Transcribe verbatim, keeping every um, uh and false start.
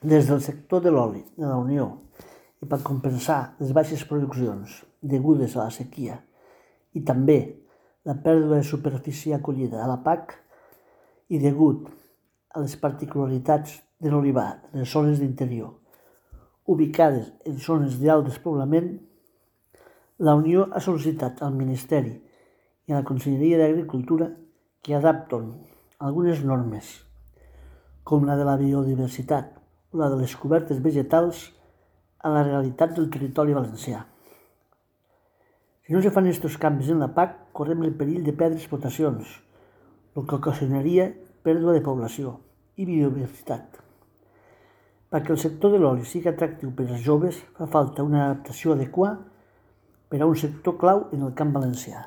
Des del sector de l'oli de la Unió i per compensar les baixes produccions degudes a la sequia i també la pèrdua de superfície acollida a la P A C i degut a les particularitats de l'olivar de les zones d'interior ubicades en zones d'alt despoblament, la Unió ha sol·licitat al Ministeri i a la Conselleria d'Agricultura que adapten algunes normes, com la de la biodiversitat o la de les cobertes vegetals, a la realitat del territori valencià. Si no se fan aquests canvis en la P A C, correm el perill de perdre explotacions, el que ocasionaria pèrdua de població i biodiversitat. Perquè el sector de l'oli sigui atractiu per als joves, fa falta una adaptació adequada per a un sector clau en el camp valencià.